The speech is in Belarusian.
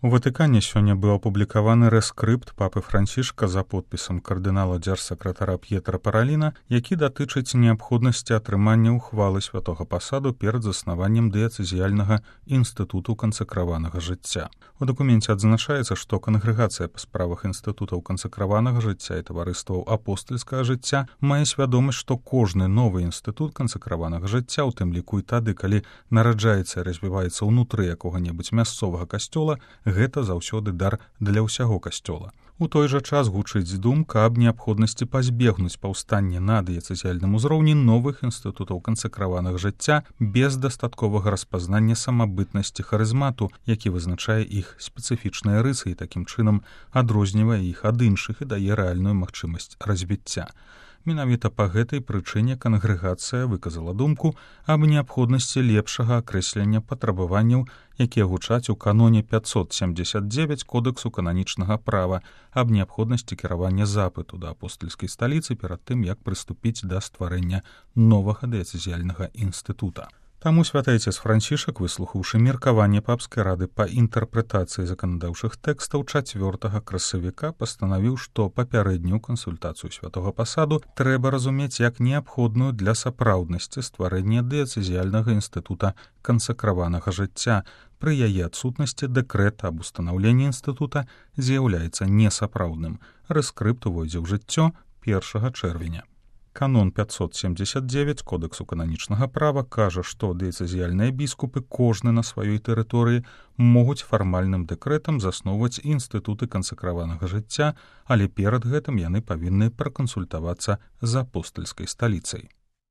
У Ватыкане сёння быў апублікаваны рэскрыпт папы Францішка за подпісам кардынала дзяржсакратара П'етра Параліна, які датычыць неабходнасці атрымання ўхвалы святога пасаду перад заснаваннем дыяцэзіяльнага інстытуту кансакраванага жыцця. У дакуменце адзначаецца, што кангрэгацыя па справах інстытутаў кансакраванага жыцця і таварыстваў апостальскага жыцця мае свядомасць, што кожны новы інстытут кансакраванага жыцця, у тым ліку і тады, калі нараджаецца і развіваецца ўнутры якога-небудзь мясцовага касцёла, гэта заўсёды дар для ўсяго касцёла. У той жа час гучыць думка аб неабходнасці пазбегнуць паўстанне на дыяцэзіяльным узроўні новых інстытутаў кансакраванага жыцця без дастатковага распазнання самабытнасці харызмату, які вызначае іх спецыфічныя рысы і такім чынам адрознівае іх ад іншых і дае рэальную магчымасць развіцця. Менавіта па гэтай прычыне кангрэгацыя выказала думку аб неабходнасці лепшага акрэслення патрабаванняў, якія гучаць у каноне 579 Кодэксу кананічнага права аб неабходнасці кіравання запыту да апостальскай сталіцы перад тым, як прыступіць да стварэння новага дыяцэзіяльнага інстытута. Таму святайцец Францішак, выслухаўшы меркаванне папскай рады па інтэрпрэтацыі заканадаўчых тэкстаў 4 красавіка, пастанавіў, што папярэднюю кансультацыю святога пасаду трэба разумець як неабходную для сапраўднасці стварэння дыяцэзіяльнага інстытута кансакраванага жыцця. Пры яе адсутнасці дэкрэт аб устанаўленні інстытута з'яўляецца несапраўдным. Рэскрыпт увойдзе ў жыццё 1 чэрвеня. Канон 579 Кодэксу кананічнага права кажа, што дыяцэзіяльныя біскупы кожны на сваёй тэрыторыі могуць фармальным дэкрэтам засноўваць інстытуты кансакраванага жыцця, але перад гэтым яны павінны пракансультавацца з апостальскай сталіцай.